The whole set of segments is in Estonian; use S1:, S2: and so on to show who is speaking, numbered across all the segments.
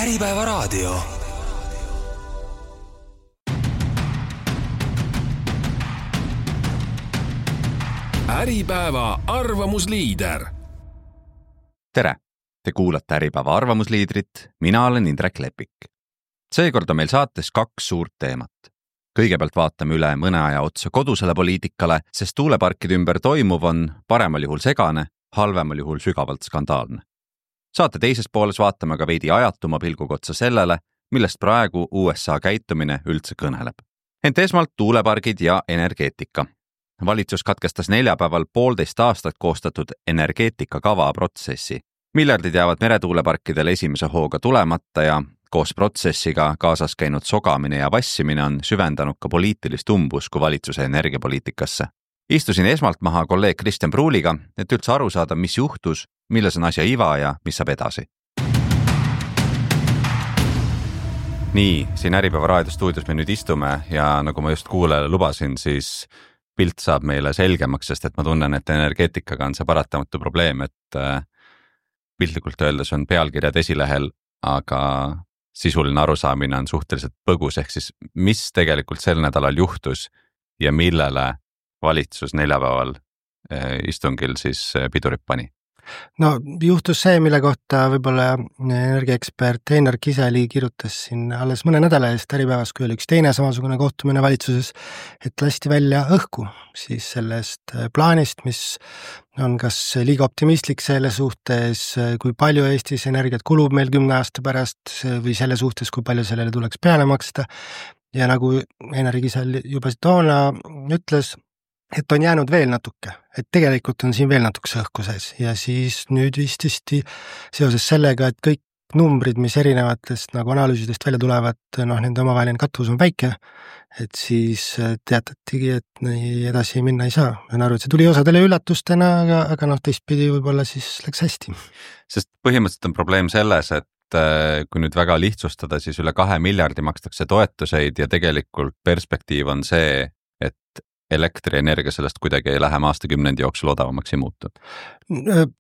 S1: Äripäeva raadio. Äripäeva arvamusliider.
S2: Tere! Te kuulate Äripäeva arvamusliidrit, mina olen Indrek Lepik. Seekord on meil saates 2 suurt teemat. Kõigepealt vaatame üle mõne aja otsa kodusele poliitikale, sest tuuleparkide ümber toimuv on paremal juhul segane, halvemal juhul sügavalt skandaalne. Saate teises pooles vaatame ka veidi ajatuma pilguga otsa sellele, millest praegu USA käitumine üldse kõneleb. Ent esmalt tuulepargid ja energeetika. Valitsus katkestas neljapäeval 1,5 aastat koostatud energeetikakava protsessi. Miljardid jäävad meretuuleparkidel esimese hooga tulemata ja koos protsessiga kaasas käinud sogamine ja vassimine on süvendanud ka poliitilist umbusku valitsuse energiapoliitikasse. Istusin esmalt maha kolleeg Kristjan Pruuliga, et üldse aru saada, mis juhtus, milles on asja iva ja mis saab edasi. Nii, siin Äripäeva raadiostuudios me nüüd istume ja nagu ma just kuulajale lubasin, siis pilt saab meile selgemaks, sest et ma tunnen, et energeetikaga on see paratamatu probleem, et piltlikult öeldes on pealkirjad esilehel, aga sisuline arusaamine on suhteliselt põgus, ehk siis mis tegelikult sel nädalal juhtus ja millele valitsus neljapäeval istungil siis pidurit pani?
S3: No juhtus see, mille kohta võib-olla energiaekspert Einar Kiseli kirjutas siin alles mõne nädala eest Äripäevas, kui oli üks teine samasugune kohtumine valitsuses, et lasti välja õhku siis sellest plaanist, mis on kas liiga optimistlik selle suhtes, kui palju Eestis energiat kulub meil 10 aasta pärast või selle suhtes, kui palju sellele tuleks peale maksta. Ja nagu Einar Kisel juba toona ütles, et on jäänud veel natuke, et tegelikult on siin veel natukese õhku sees ja siis nüüd vististi seoses sellega, et kõik numbrid, mis erinevatest nagu analüüsidest välja tulevad, nende omavaheline katvus on väike, et siis teatatigi, et nii edasi minna ei saa. Ma arvan, et see tuli osadele üllatustena, aga teistpidi võib-olla siis läks hästi.
S2: Sest põhimõtteliselt on probleem selles, et kui nüüd väga lihtsustada, siis üle 2 miljardi makstakse toetuseid ja tegelikult perspektiiv on see, et elektrienergia sellest kuidagi ei lähe aastakümnendi jooksul odavamaks ei muutu.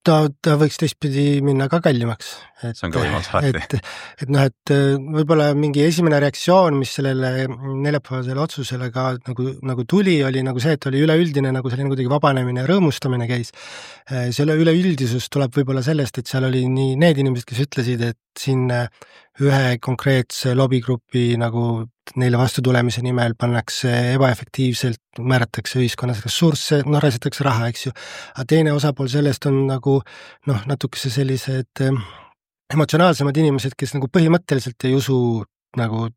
S2: Ta võiks teistpidi minna ka kallimaks. See on ka võimalus alati.
S3: Et võib-olla mingi esimene reaktsioon, mis sellele neljapäevasele otsusele ka nagu tuli, oli nagu see, et oli üleüldine nagu selline kuidagi vabanemine ja rõõmustamine käis. Selle üleüldisus tuleb võib-olla sellest, et seal oli nii need inimesed, kes ütlesid, et siin ühe konkreetse lobigrupi nagu neile vastu tulemise nimel pannakse ebaefektiivselt, määratakse ühiskonnas ressursse, raisatakse raha, eks ju. Aga teine osapool sellest on nagu natukese sellised emotsionaalsemad inimesed, kes nagu põhimõtteliselt ei usu nagu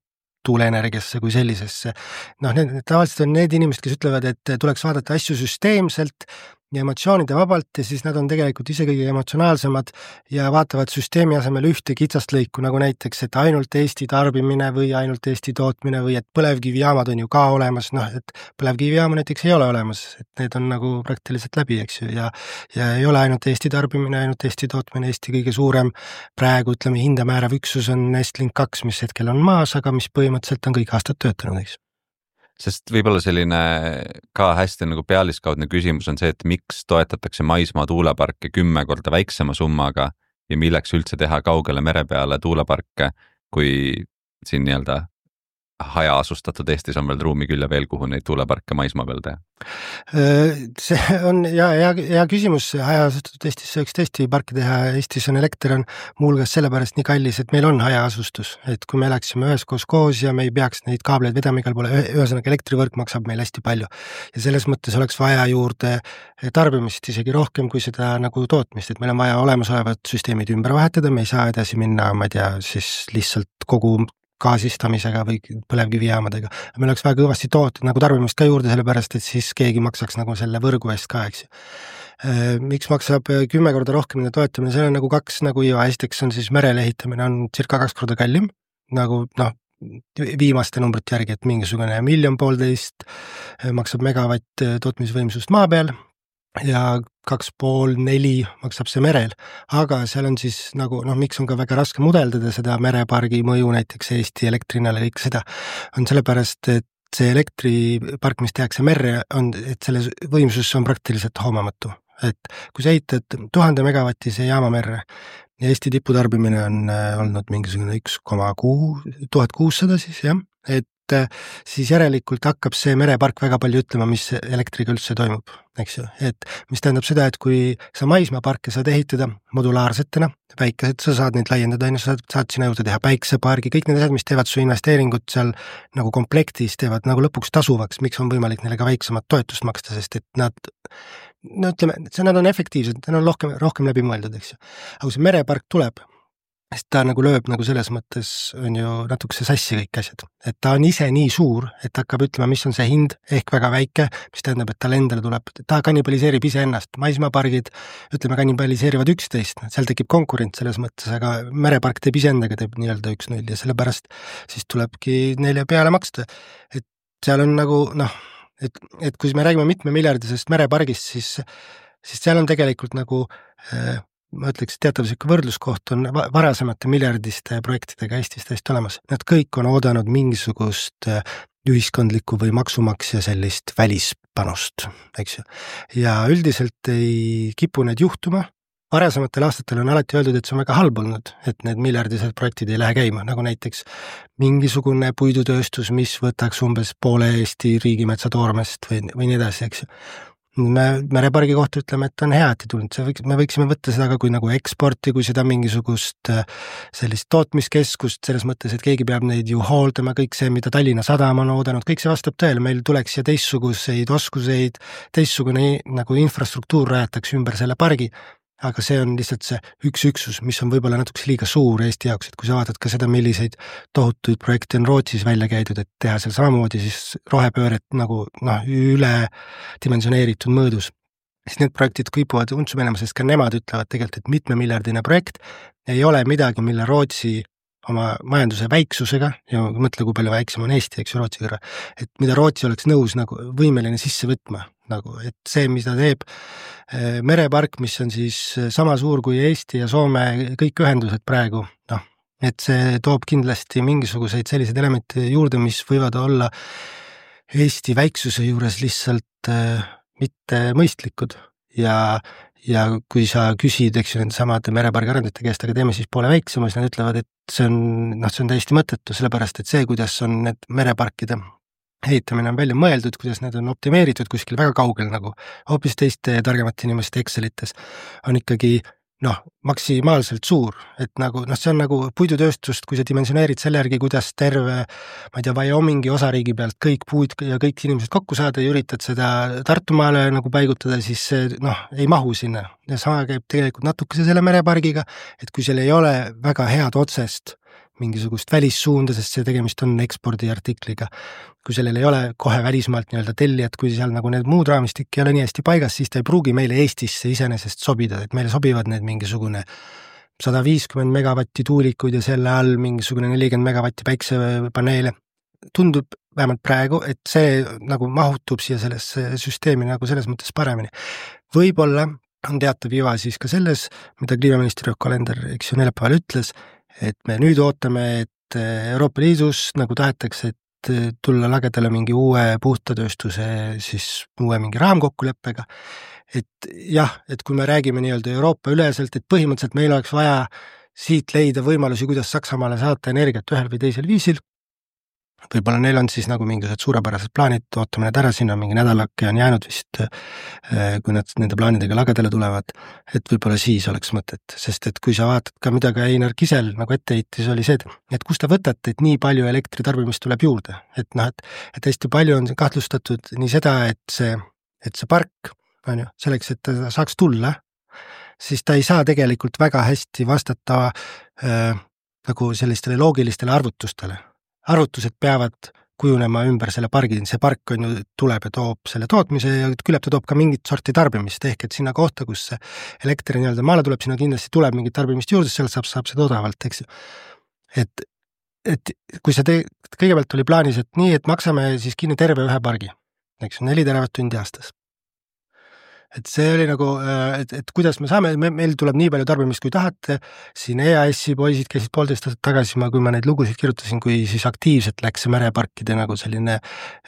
S3: tuuleenergiasse kui sellisesse. Tavaliselt on need inimesed, kes ütlevad, et tuleks vaadata asju süsteemselt ja emotsioonide vabalt ja siis nad on tegelikult ise kõige emotsionaalsemad ja vaatavad süsteemi asemel ühte kitsast lõiku, nagu näiteks, et ainult Eesti tarbimine või ainult Eesti tootmine või et põlevkivijaamad on ju ka olemas, et põlevkivijaamu näiteks ei ole olemas, et need on nagu praktiliselt läbi, eks ju, ja ei ole ainult Eesti tarbimine, ainult Eesti tootmine, Eesti kõige suurem praegu, ütleme, hindamäärav üksus on Estlink 2, mis hetkel on maas, aga mis põhimõtteliselt on kõik aastad töötanud, eks.
S2: Sest võib-olla selline ka hästi nagu pealiskaudne küsimus on see, et miks toetatakse maismaa tuuleparke 10 korda väiksema summaga ja milleks üldse teha kaugele mere peale tuuleparke, kui siin nii-öelda hajaasustatud Eestis on veel ruumi küll ja veel, kuhu neid tuuleparke maismaa peal teha?
S3: See on hea küsimus, hajaasustatud Eestis võiks tõesti parki teha, Eestis on elekter on muulgas sellepärast nii kallis, et meil on hajaasustus, et kui me läksime üheskoos koos ja me ei peaks neid kaableid vedama igal poole, ühesõnaga elektrivõrk maksab meil hästi palju ja selles mõttes oleks vaja juurde tarbimist isegi rohkem kui seda nagu tootmist, et meil on vaja olemasolevad süsteemid ümber vahetada, me ei saa edasi minna, ma ei tea, siis lihtsalt kogu gaasistamisega või põlevkivijaamadega. Meil oleks väga kõvasti nagu tarbimist ka juurde, sellepärast, et siis keegi maksaks nagu selle võrgu eest ka, eks ju. Miks maksab 10 korda rohkem nende toetamine? See on nagu 2 nagu iva. Esiteks on siis merele ehitamine on circa 2 korda kallim, nagu viimaste numbrite järgi, et mingisugune 1,5 miljonit maksab megavatt tootmisvõimsust maa peal ja 2,5–4 maksab see merel, aga seal on siis nagu, miks on ka väga raske mudeldada seda merepargi mõju näiteks Eesti elektrihinnale ja kõik seda, on sellepärast, et see elektripark, mis tehakse merre, et selle võimsus on praktiliselt hoomamatu. et kui sa ehitad 1000 megavatise jaama merre ja Eesti tiputarbimine on olnud mingisugune 1600 siis jah, et siis järelikult hakkab see merepark väga palju ütlema, mis elektriga üldse toimub, eks ju, et mis tähendab seda, et kui sa maismaaparke saad ehitada modulaarsetena, päikesed, sa saad neid laiendada, sa saad sinna juurde teha päiksepargi, kõik need asjad, mis teevad su investeeringut seal nagu komplektis, teevad nagu lõpuks tasuvaks, miks on võimalik neile ka väiksemat toetust maksta, sest et nad no ütleme, nad on efektiivsed, nad on rohkem läbi mõeldud, eks ju. Aga kui see merepark tuleb, sest ta nagu lööb nagu selles mõttes on ju natukese sassi kõik asjad, et ta on ise nii suur, et hakkab ütlema, mis on see hind ehk väga väike, mis tähendab, et tal endale tuleb, ta kannibaliseerib iseennast, maismaapargid, ütleme, kannibaliseerivad üksteist, seal tekib konkurents selles mõttes, aga merepark teeb iseendaga, teeb nii-öelda 1-0 ja sellepärast siis tulebki neile peale maksta, et seal on nagu noh, et kui me räägime mitmemiljardisest merepargist, siis seal on tegelikult nagu ma ütleks, teatav siuke võrdluskoht on varasemate miljardiste projektidega Eestis täiesti olemas. Nad kõik on oodanud mingisugust ühiskondlikku või maksumaksja sellist välispanust, eks ju. Ja üldiselt ei kipu need juhtuma. Varasematel aastatel on alati öeldud, et see on väga halb olnud, et need miljardised projektid ei lähe käima, nagu näiteks mingisugune puidutööstus, mis võtaks umbes poole Eesti riigimetsa toormest või nii edasi, eks ju. Me merepargi kohta ütleme, et on hea, et ei tulnud, me võiksime võtta seda ka kui nagu eksporti, kui seda mingisugust sellist tootmiskeskust, selles mõttes, et keegi peab neid ju hooldama, kõik see, mida Tallinna Sadam on oodanud, kõik see vastab tõele, meil tuleks ja teistsuguseid oskuseid, teistsugune nagu infrastruktuur rajatakse ümber selle pargi, aga see on lihtsalt see üks üksus, mis on võib-olla natuke liiga suur Eesti jaoks, et kui sa vaatad ka seda, milliseid tohutuid projekte on Rootsis välja käidud, et teha seal samamoodi siis rohepööret nagu üle dimensioneeritud mõõdus, siis need projektid kipuvad untsu minema, sest ka nemad ütlevad tegelikult, et mitmemiljardine projekt ei ole midagi, mille Rootsi oma majanduse väiksusega, ja mõtle, kui palju väiksem on Eesti, eks ju, Rootsi kõrva, et mida Rootsi oleks nõus nagu võimeline sisse võtma, nagu, et see, mida teeb merepark, mis on siis sama suur kui Eesti ja Soome kõik ühendused praegu, et see toob kindlasti mingisuguseid selliseid elemente juurde, mis võivad olla Eesti väiksuse juures lihtsalt mitte mõistlikud ja kui sa küsid, eks ju, nende samade merepargi arendajate käest, aga teeme siis poole väiksema, siis nad ütlevad, et see on täiesti mõttetu, sellepärast et see, kuidas on need mereparkide ehitamine on välja mõeldud, kuidas need on optimeeritud kuskil väga kaugel nagu hoopis teiste targemate inimeste Excelites, on ikkagi maksimaalselt suur, et nagu see on nagu puidutööstust, kui sa dimensioneerid selle järgi, kuidas terve, ma ei tea, Wyomingi osariigi pealt kõik puud ja kõik inimesed kokku saada ja üritad seda Tartumaale nagu paigutada, siis see ei mahu sinna. Ja sama käib tegelikult natukese selle merepargiga, et kui seal ei ole väga head otsest mingisugust välissuunda, sest see tegemist on ekspordiartikliga. Kui sellel ei ole kohe välismaalt nii-öelda tellijat, kui seal nagu need muud raamistik ei ole nii hästi paigas, siis ta ei pruugi meile Eestisse iseenesest sobida, et meile sobivad need mingisugune 150 megavatti tuulikuid ja selle all mingisugune 40 megavatti päiksepaneele. Tundub vähemalt praegu, et see nagu mahutub siia sellesse süsteemi nagu selles mõttes paremini. Võib-olla on teatav iva siis ka selles, mida kliimaminister Yoko Alender, eks ju, neljapäeval ütles, et me nüüd ootame, et Euroopa Liidus nagu tahetakse, et tulla lagedale mingi uue puhtatööstuse siis uue mingi raamkokkuleppega, et jah, et kui me räägime nii-öelda Euroopa üleselt, et põhimõtteliselt meil oleks vaja siit leida võimalusi, kuidas Saksamaale saata energiat ühel või teisel viisil, võib-olla neil on siis nagu mingisugused suurepärased plaanid, ootame need ära, siin on mingi nädalake on jäänud vist, kui nad nende plaanidega lagedale tulevad, et võib-olla siis oleks mõtet, sest et kui sa vaatad ka, mida ka Einar Kisel nagu etteheitis oli see, et kust ta võtate, et nii palju elektritarbimist tuleb juurde, et hästi palju on kahtlustatud nii seda, et see park, on ju, selleks, et ta saaks tulla, siis ta ei saa tegelikult väga hästi vastata nagu sellistele loogilistele arvutustele. Arvutused peavad kujunema ümber selle pargi, see park on ju tuleb ja toob selle tootmise ja küllap ta toob ka mingit sorti tarbimist, ehk et sinna kohta, kus see elekter nii-öelda maale tuleb, sinna kindlasti tuleb mingit tarbimist juurde, seal saab seda odavalt, eks ju. Et kui see kõigepealt oli plaanis, et nii, et maksame siis kinni terve ühe pargi, eks ju, 4 teravatt-tundi aastas. Et see oli nagu, et kuidas me saame, meil tuleb nii palju tarbimist, kui tahate, siin EAS-i poisid käisid 1,5 aastat tagasi, kui ma neid lugusid kirjutasin, kui siis aktiivselt läks see mereparkide nagu selline,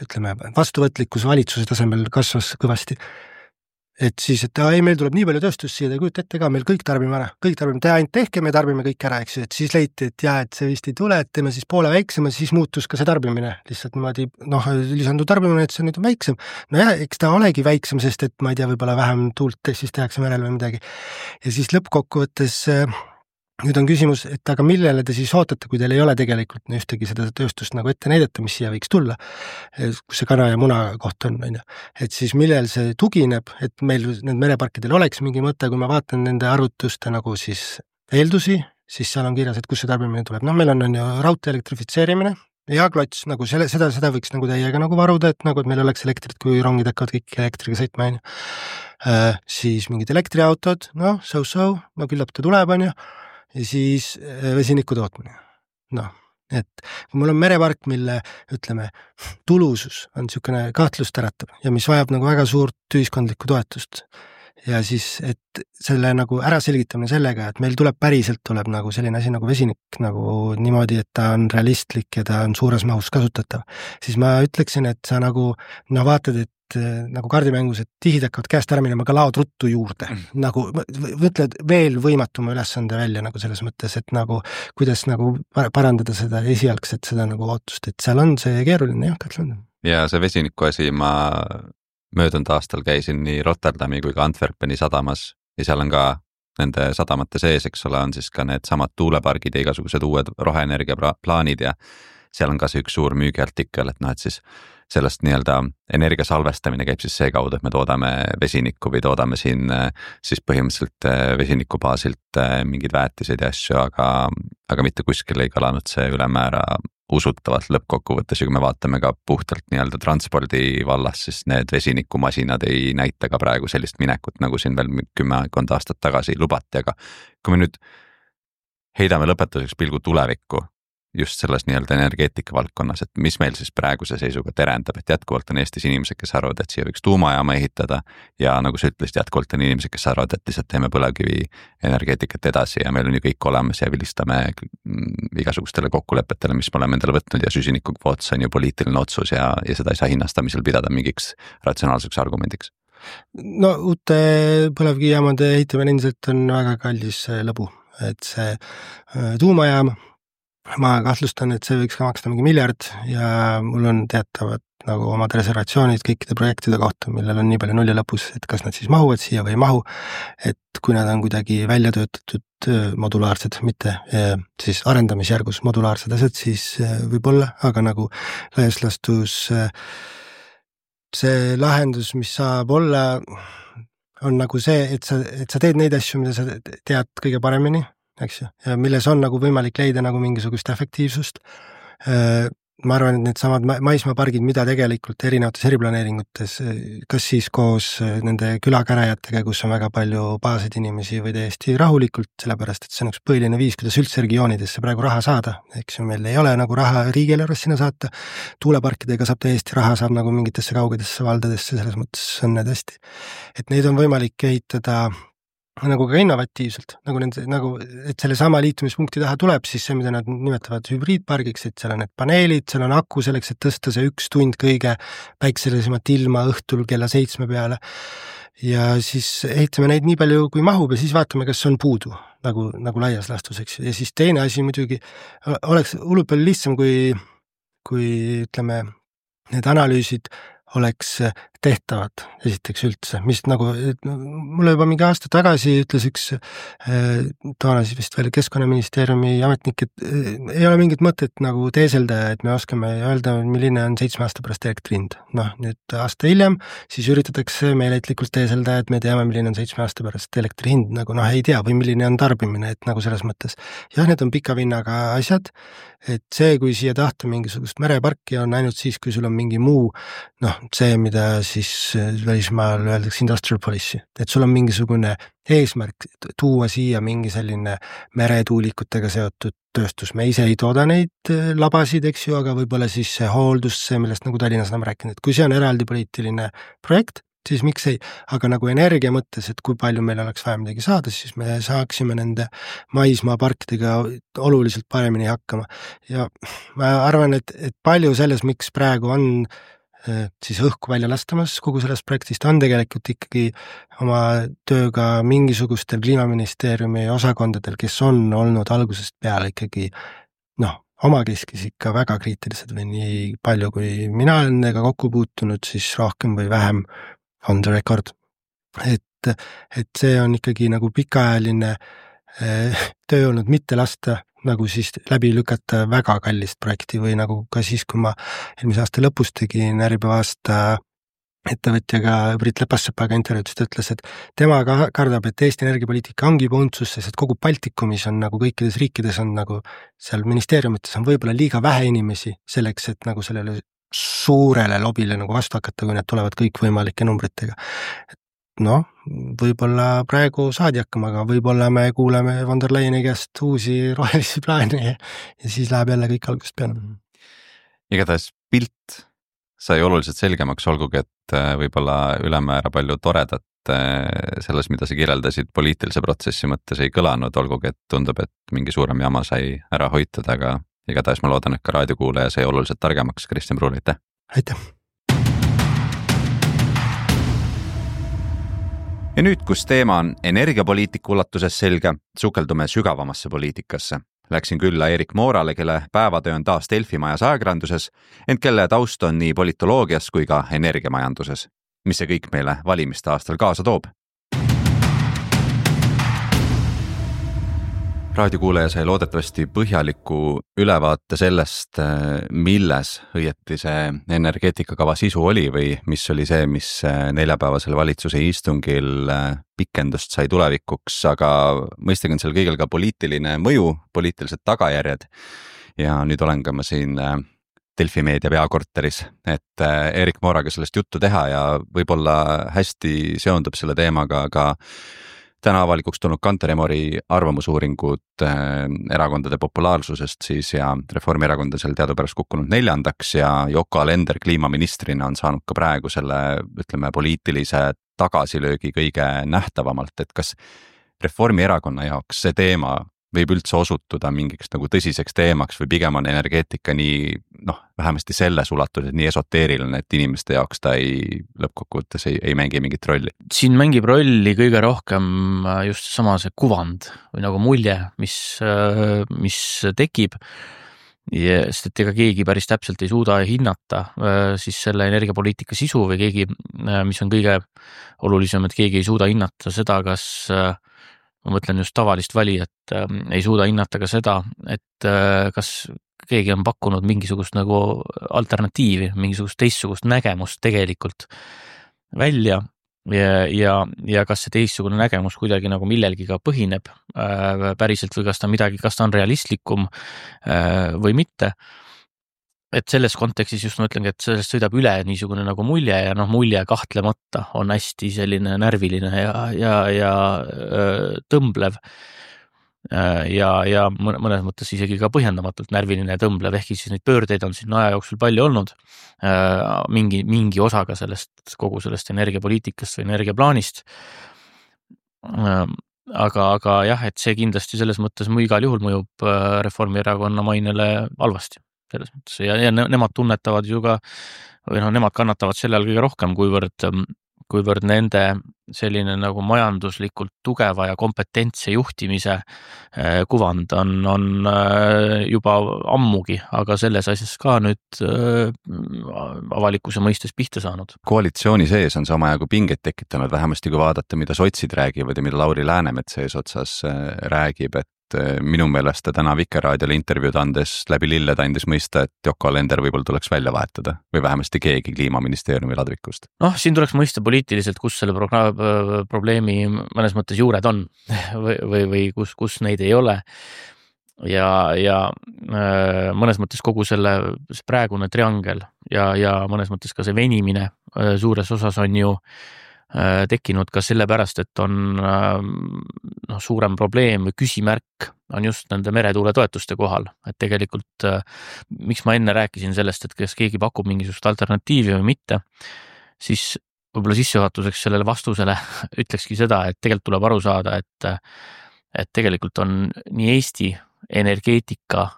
S3: ütleme, vastuvõtlikkus valitsuse tasemel kasvas kõvasti. et siis, et ei, meil tuleb nii palju tööstust siia, te kujuta ette ka, meil kõik tarbime ära, te ainult tehke, me tarbime kõik ära, eks ju, et siis leiti, et jah, et see vist ei tule, et teeme siis poole väiksema, siis muutus ka see tarbimine lihtsalt niimoodi, lisandu tarbimine, et see nüüd on väiksem. Nojah, eks ta olegi väiksem, sest et ma ei tea, võib-olla vähem tuult siis tehakse merel või midagi. Ja siis lõppkokkuvõttes nüüd on küsimus, et aga millele te siis ootate, kui teil ei ole tegelikult ühtegi seda tööstust nagu ette näidata, mis siia võiks tulla, kus see kana ja muna koht on, et siis millel see tugineb, et meil need mereparkidel oleks mingi mõte, kui ma vaatan nende arvutuste nagu siis eeldusi, siis seal on kirjas, et kus see tarbimine tuleb. Meil on ju raudtee elektrifitseerimine ja klots, nagu seda võiks nagu täiega nagu varuda, et nagu, et meil oleks elektrit, kui rongid hakkavad kõik elektriga sõitma, siis mingid elektriautod, küllap ta tuleb, ja siis vesiniku tootmine. Et kui mul on merepark, mille, ütleme, tulusus on niisugune kahtlust äratab ja mis vajab nagu väga suurt ühiskondlikku toetust ja siis, et selle nagu ära selgitamine sellega, et meil tuleb nagu selline asi nagu vesinik nagu niimoodi, et ta on realistlik ja ta on suures mahus kasutatav, siis ma ütleksin, et sa nagu vaatad, et nagu kaardimängus, et tihid hakkavad käest ära minema, aga laod ruttu juurde. Nagu võtled veel võimatuma ülesande välja nagu selles mõttes, et nagu kuidas nagu parandada seda esialgset seda nagu ootust, et seal on see keeruline jah, kahtlemata.
S2: Ja see vesiniku asi, ma möödunud aastal käisin nii Rotterdami kui ka Antwerpeni sadamas ja seal on ka nende sadamate sees, eks ole, on siis ka need samad tuulepargid ja igasugused uued roheenergia plaanid ja seal on ka see üks suur müügiartikkel, et et siis sellest nii-öelda energia salvestamine käib siis see kaudu, et me toodame vesinikku või toodame siin siis põhimõtteliselt vesiniku baasilt mingeid väetiseid ja asju, aga mitte kuskil ei kõlanud see ülemäära usutavalt lõppkokkuvõttes ja kui me vaatame ka puhtalt nii-öelda transpordi vallas, siis need vesinikumasinad ei näita ka praegu sellist minekut, nagu siin veel 10 aastat tagasi lubati, aga kui me nüüd heidame lõpetuseks pilgu tulevikku, just selles nii-öelda energeetika valdkonnas, et mis meil siis praeguse seisuga terendab, et jätkuvalt on Eestis inimesed, kes arvavad, et siia võiks tuumajaama ehitada ja nagu sa ütlesid, jätkuvalt on inimesed, kes arvavad, et lihtsalt teeme põlevkivi energeetikat edasi ja meil on ju kõik olemas ja vilistame igasugustele kokkulepetele, mis me oleme endale võtnud ja süsinikukvoot on ju poliitiline otsus ja seda ei saa hinnastamisel pidada mingiks ratsionaalseks argumendiks.
S3: Uute põlevkivijaamade ehitamine endiselt on väga kallis lõbu, et see tuumajaam ma kahtlustan, et see võiks ka maksta mingi 1 miljard ja mul on teatavad nagu omad reservatsioonid kõikide projektide kohta, millel on nii palju nulli lõpus, et kas nad siis mahuvad siia või ei mahu, et kui nad on kuidagi välja töötatud modulaarsed, mitte siis arendamisjärgus modulaarsed asjad, siis võib-olla, aga nagu laias lastus see lahendus, mis saab olla, on nagu see, et sa teed neid asju, mida sa tead kõige paremini, eks ju, ja milles on nagu võimalik leida nagu mingisugust efektiivsust. Ma arvan, et need samad maismaapargid, mida tegelikult erinevates eriplaneeringutes, kas siis koos nende külakäräjatega, kus on väga palju baasid inimesi või täiesti rahulikult, sellepärast, et see on üks põhiline viis, kuidas üldse regioonidesse praegu raha saada, eks ju, meil ei ole nagu raha riigieelarvest sinna saata, tuuleparkidega saab täiesti raha, saab nagu mingitesse kaugedesse valdadesse, selles mõttes on need hästi, et neid on võimalik ehitada nagu ka innovatiivselt, nagu, et selle sama liitumispunkti taha tuleb siis see, mida nad nimetavad hübriidpargiks, et seal on need paneelid, seal on aku selleks, et tõsta see 1 tund kõige päikselisemat ilma õhtul kella 7 peale ja siis ehitame neid nii palju, kui mahub ja siis vaatame, kas on puudu, nagu laias lastuseks ja siis teine asi muidugi oleks hullult palju lihtsam, kui ütleme, need analüüsid oleks tehtavad esiteks üldse, mis nagu mulle juba mingi aasta tagasi ütles üks toona siis vist veel Keskkonnaministeeriumi ametnik, et ei ole mingit mõtet nagu teeselda, et me oskame öelda, milline on 7 aasta pärast elektri hind. Nüüd aasta hiljem siis üritatakse meeleitlikult teeselda, et me teame, milline on 7 aasta pärast elektri hind, nagu ei tea või milline on tarbimine, et nagu selles mõttes. Jah, need on pika vinnaga asjad, et see, kui siia tahta mingisugust mereparki on ainult siis, kui sul on mingi muu, see, mida siis välismaal öeldakse industrial policy, et sul on mingisugune eesmärk tuua siia mingi selline meretuulikutega seotud tööstus. Me ise ei tooda neid labasid, eks ju, aga võib-olla siis see hooldus, see, millest nagu Tallinnas oleme rääkinud, et kui see on eraldi poliitiline projekt, siis miks ei, aga nagu energia mõttes, et kui palju meil oleks vaja midagi saada, siis me saaksime nende maismaaparkidega oluliselt paremini hakkama. Ja ma arvan, et palju selles, miks praegu on siis õhku välja lastamas kogu sellest projektist, on tegelikult ikkagi oma tööga mingisugustel Kliimaministeeriumi osakondadel, kes on olnud algusest peale ikkagi omakeskis ikka väga kriitilised või nii palju, kui mina olen nendega kokku puutunud, siis rohkem või vähem on the record. Et see on ikkagi nagu pikaajaline töö olnud mitte lasta nagu siis läbi lükata väga kallist projekti või nagu ka siis, kui ma eelmise aasta lõpus tegin Äripäeva aasta ettevõtjaga Brit Lepassepaga intervjuudest ütles, et tema kardab, et Eesti energiapoliitika ongi juba untsus, sest kogu Baltikumis on nagu kõikides riikides on nagu seal ministeeriumites on võib-olla liiga vähe inimesi selleks, et nagu sellele suurele lobile nagu vastu hakata, kui need tulevad kõikvõimalike numbritega. Võib-olla praegu saadi hakkama, aga võib-olla me kuuleme von der Leyeni käest uusi rohelisi plaane ja siis läheb jälle kõik algusest peale.
S2: Igatahes pilt sai oluliselt selgemaks, olgugi, et võib-olla ülemäära palju toredat selles, mida sa kirjeldasid poliitilise protsessi mõttes ei kõlanud, olgugi, et tundub, et mingi suurem jama sai ära hoitud, aga igatahes ma loodan, et ka raadiokuulaja sai oluliselt targemaks. Kristjan Pruul, aitäh!
S3: Aitäh!
S2: Ja nüüd, kus teema on energiapoliitika ulatuses selge, sukeldume sügavamasse poliitikasse. Läksin külla Erik Moorale, kelle päevatöö on taas Delfi majas ajakirjanduses, ent kelle taust on nii politoloogias kui ka energiamajanduses. Mis see kõik meile valimiste aastal kaasa toob? Raadiokuulaja sai loodetavasti põhjaliku ülevaate sellest, milles õieti see energeetikakava sisu oli või mis oli see, mis neljapäevasel valitsuse istungil pikendust sai tulevikuks, aga mõistagi on seal kõigil ka poliitiline mõju, poliitilised tagajärjed ja nüüd olen ka ma siin Delfi meedia peakorteris, et Erik Mooraga sellest juttu teha ja võib-olla hästi seondub selle teemaga ka täna avalikuks tulnud Kantar Emori arvamusuuringud erakondade populaarsusest siis ja Reformierakond on seal teadupärast kukkunud 4. ja Yoko Alender kliimaministrina on saanud ka praegu selle, ütleme, poliitilise tagasilöögi kõige nähtavamalt, et kas Reformierakonna jaoks see teema võib üldse osutuda mingiks nagu tõsiseks teemaks või pigem on energeetika nii, vähemasti selles ulatuses nii esoteeriline, et inimeste jaoks ta lõppkokkuvõttes ei mängi mingit rolli.
S4: Siin mängib rolli kõige rohkem just sama see kuvand või nagu mulje, mis tekib, sest et ega keegi päris täpselt ei suuda hinnata siis selle energiapoliitika sisu või keegi, mis on kõige olulisem, et keegi ei suuda hinnata seda, kas ma mõtlen just tavalist valijat, ei suuda hinnata ka seda, et kas keegi on pakkunud mingisugust nagu alternatiivi, mingisugust teistsugust nägemust tegelikult välja ja kas see teistsugune nägemus kuidagi nagu millelgi ka põhineb päriselt või kas ta on realistlikum või mitte. Et selles kontekstis just ma ütlengi, et sellest sõidab üle niisugune nagu mulje ja mulje kahtlemata on hästi selline närviline ja tõmblev ja mõnes mõttes isegi ka põhjendamatult närviline ja tõmblev, ehk siis neid pöördeid on siin aja jooksul palju olnud mingi osaga kogu sellest energiapoliitikast või energiaplaanist. Aga jah, et see kindlasti selles mõttes igal juhul mõjub Reformierakonna mainele halvasti. Selles mõttes ja nemad tunnetavad ju ka või nemad kannatavad selle all kõige rohkem, kuivõrd nende selline nagu majanduslikult tugeva ja kompetentse juhtimise kuvand on juba ammugi, aga selles asjas ka nüüd avalikkuse mõistes pihta saanud.
S2: Koalitsiooni sees on samajagu pingeid tekitanud, vähemasti kui vaadata, mida sotsid räägivad ja mida Lauri Läänemets eesotsas räägib, et minu meelest ta täna Vikerraadiole intervjuud andes läbi lilled andis mõista, et Yoko Alender võib-olla tuleks välja vahetada või vähemasti keegi Kliimaministeeriumi ladvikust.
S4: Siin tuleks mõista poliitiliselt, kus selle probleemi mõnes mõttes juured on või kus neid ei ole. Ja mõnes mõttes kogu selle praegune triangel ja mõnes mõttes ka see venimine suures osas on ju tekkinud ka sellepärast, et on suurem probleem või küsimärk on just nende meretuuletoetuste kohal, et tegelikult miks ma enne rääkisin sellest, et kas keegi pakub mingisugust alternatiivi või mitte, siis võib-olla sissejuhatuseks sellele vastusele ütlekski seda, et tegelikult tuleb aru saada, et tegelikult on nii Eesti energeetika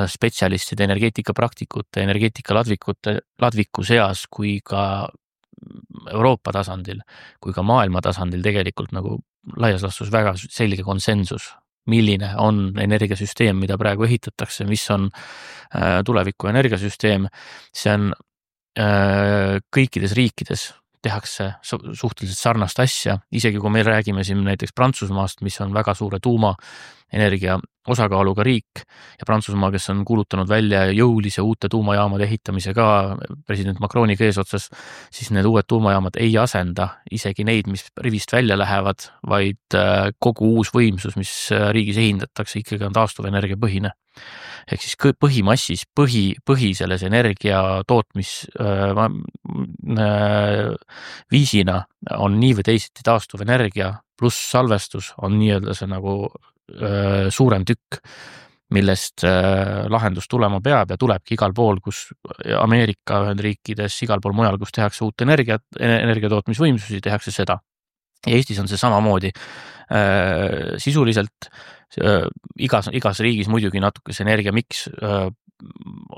S4: spetsialistide, energeetikapraktikute, energeetikaladviku seas kui ka Euroopa tasandil, kui ka maailma tasandil tegelikult nagu laias laastus väga selge konsensus, milline on energiasüsteem, mida praegu ehitatakse, mis on tuleviku energiasüsteem. See on kõikides riikides tehakse suhteliselt sarnast asja, isegi kui me räägime siin näiteks Prantsusmaast, mis on väga suure tuumaenergia osakaaluga riik ja Prantsusmaa, kes on kuulutanud välja jõulise uute tuumajaamade ehitamise ka president Macroniga eesotsas, siis need uued tuumajaamad ei asenda isegi neid, mis rivist välja lähevad, vaid kogu uus võimsus, mis riigis ehindatakse, ikkagi on taastuvenergia põhine. Ehk siis põhimassis, põhi selles energia tootmis viisina on nii või teisiti taastuvenergia pluss salvestus on nii-öelda see nagu suurem tükk, millest lahendus tulema peab ja tulebki igal pool, kus Ameerika Ühendriikides, igal pool mujal, kus tehakse uut energiatootmisvõimsusi, tehakse seda. Ja Eestis on see samamoodi sisuliselt igas riigis muidugi natuke see energia miks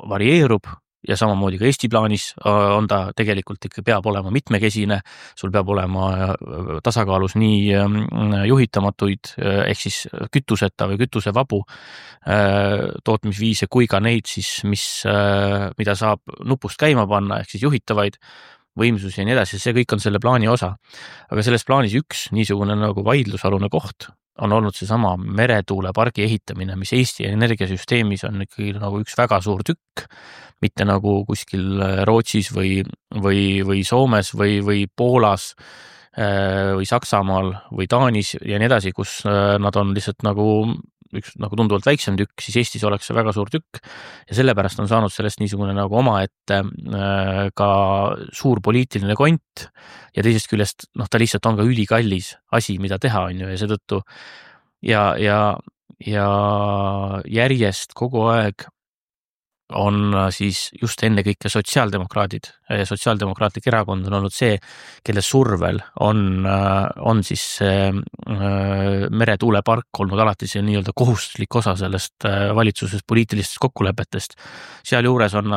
S4: varieerub ja samamoodi ka Eesti plaanis on ta tegelikult ikka peab olema mitmekesine, sul peab olema tasakaalus nii juhitamatuid ehk siis kütuseta või kütusevabu tootmisviise kui ka neid siis, mida saab nupust käima panna ehk siis juhitavaid võimsusi ja nii edasi, see kõik on selle plaani osa. Aga selles plaanis üks niisugune nagu vaidlusalune koht on olnud see sama meretuulepargi ehitamine, mis Eesti energiasüsteemis on ikkagi nagu üks väga suur tükk, mitte nagu kuskil Rootsis või Soomes või Poolas või Saksamaal või Taanis ja nii edasi, kus nad on lihtsalt nagu üks nagu tunduvalt väiksem tükk, siis Eestis oleks see väga suur tükk ja sellepärast on saanud sellest niisugune nagu omaette ka suur poliitiline kont ja teisest küljest ta lihtsalt on ka ülikallis asi, mida teha on ju ja seetõttu ja järjest kogu aeg on siis just enne kõike sotsiaaldemokraadid ja sotsiaaldemokraatlik erakond on olnud see, kelle survel on siis meretuulepark olnud alati see nii-öelda kohustuslik osa sellest valitsusest poliitilistest kokkulepetest. Sealjuures on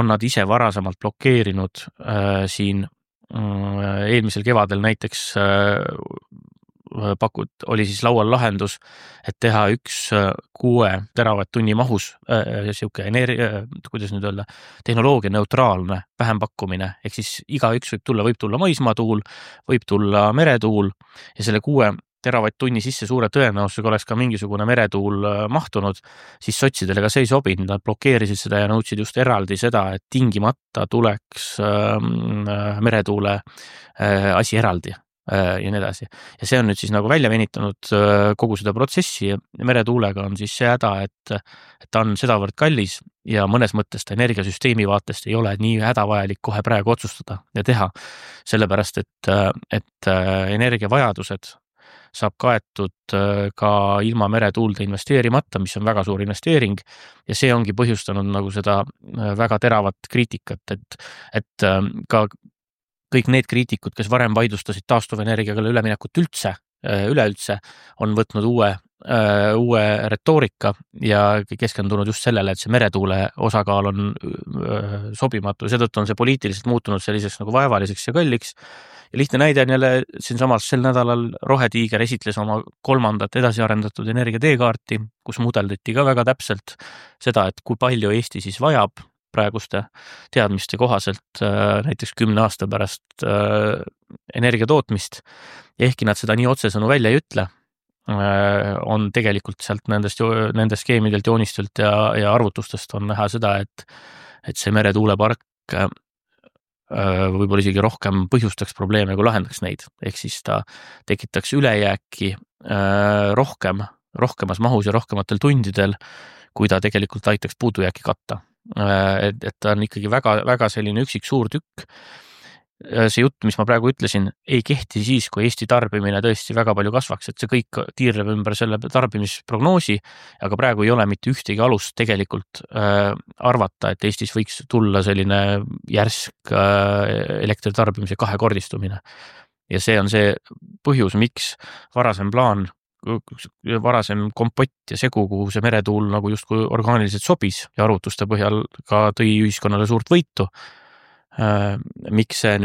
S4: nad ise varasemalt blokeerinud siin eelmisel kevadel näiteks oli siis laual lahendus, et teha 6 teravatt-tunni mahus siuke kuidas nüüd öelda, tehnoloogia neutraalne vähempakkumine, ehk siis igaüks võib tulla maismaatuul, võib tulla meretuul ja selle 6 teravatt-tunni sisse suure tõenäosusega oleks ka mingisugune meretuul mahtunud, siis sotsidele ka see ei sobinud, nad blokeerisid seda ja nõudsid just eraldi seda, et tingimata tuleks meretuule asi eraldi ja nii edasi. Ja see on nüüd siis nagu välja venitanud kogu seda protsessi ja meretuulega on siis see häda, et ta on sedavõrd kallis ja mõnes mõttes ta energiasüsteemi vaatest ei ole nii hädavajalik kohe praegu otsustada ja teha, sellepärast et energiavajadused saab kaetud ka ilma meretuulde investeerimata, mis on väga suur investeering ja see ongi põhjustanud nagu seda väga teravat kriitikat, et ka kõik need kriitikud, kes varem vaidlustasid taastuvenergiaga üleminekut üleüldse, on võtnud uue retoorika ja keskendunud just sellele, et see meretuule osakaal on sobimatu. Seetõttu on see poliitiliselt muutunud selliseks nagu vaevaliseks ja kalliks. Ja lihtne näide on jälle siinsamas sel nädalal Rohetiiger esitles oma 3. edasiarendatud energiateekaarti, kus mudeldati ka väga täpselt seda, et kui palju Eesti siis vajab praeguste teadmiste kohaselt näiteks 10 aasta pärast energiatootmist. Ehkki nad seda nii otsesõnu välja ei ütle, on tegelikult sealt nendest skeemidelt, joonistelt ja arvutustest on näha seda, et see meretuulepark võib-olla isegi rohkem põhjustaks probleeme, kui lahendaks neid. Ehk siis ta tekitaks ülejääki rohkemas mahus ja rohkematel tundidel, kui ta tegelikult aitaks puudujääki katta. Et ta on ikkagi väga, väga selline üksik suur tükk. See jutt, mis ma praegu ütlesin, ei kehti siis, kui Eesti tarbimine tõesti väga palju kasvaks, et see kõik tiirleb ümber selle tarbimisprognoosi, aga praegu ei ole mitte ühtegi alust tegelikult arvata, et Eestis võiks tulla selline järsk elektritarbimise 2-kordistumine. Ja see on see põhjus, miks varasem plaan varasem kompott ja segu, kuhu see meretuul nagu justkui orgaaniliselt sobis ja arvutuste põhjal ka tõi ühiskonnale suurt võitu. Miks ta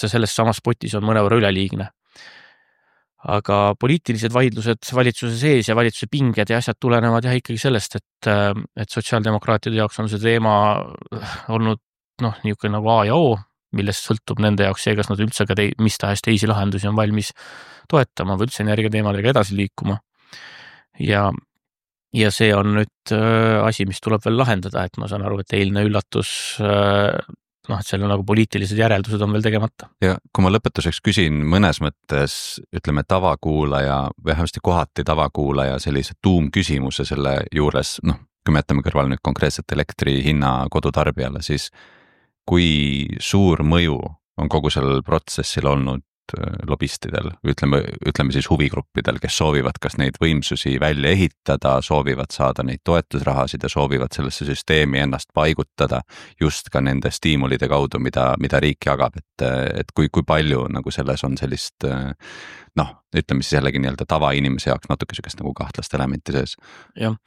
S4: selles samas potis on mõnevõrra üleliigne. Aga poliitilised vaidlused valitsuse sees ja valitsuse pinged ja asjad tulenevad ikkagi sellest, et sotsiaaldemokraatide jaoks on see teema olnud niisugune nagu A ja O, millest sõltub nende jaoks see, kas nad üldse ka mis tahes teisi lahendusi on valmis toetama või üldse energiateemadega edasi liikuma. Ja see on nüüd asi, mis tuleb veel lahendada, et ma saan aru, et eilne üllatus, et seal on nagu poliitilised järeldused on veel tegemata.
S2: Ja kui ma lõpetuseks küsin mõnes mõttes, ütleme tavakuulaja, vähemasti kohati tavakuulaja sellise tuumküsimuse selle juures, kui me jätame kõrval nüüd konkreetselt elektri hinna kodutarbijale, siis kui suur mõju on kogu sellel protsessil olnud lobistidel, ütleme siis huvigruppidel, kes soovivad kas neid võimsusi välja ehitada, soovivad saada neid toetusrahasid ja soovivad sellesse süsteemi ennast paigutada just ka nende stiimulide kaudu, mida riik jagab, et kui palju nagu selles on sellist, ütleme siis jällegi nii-öelda tavainimese jaoks natuke sellist nagu kahtlast elementi sees.
S4: Jah,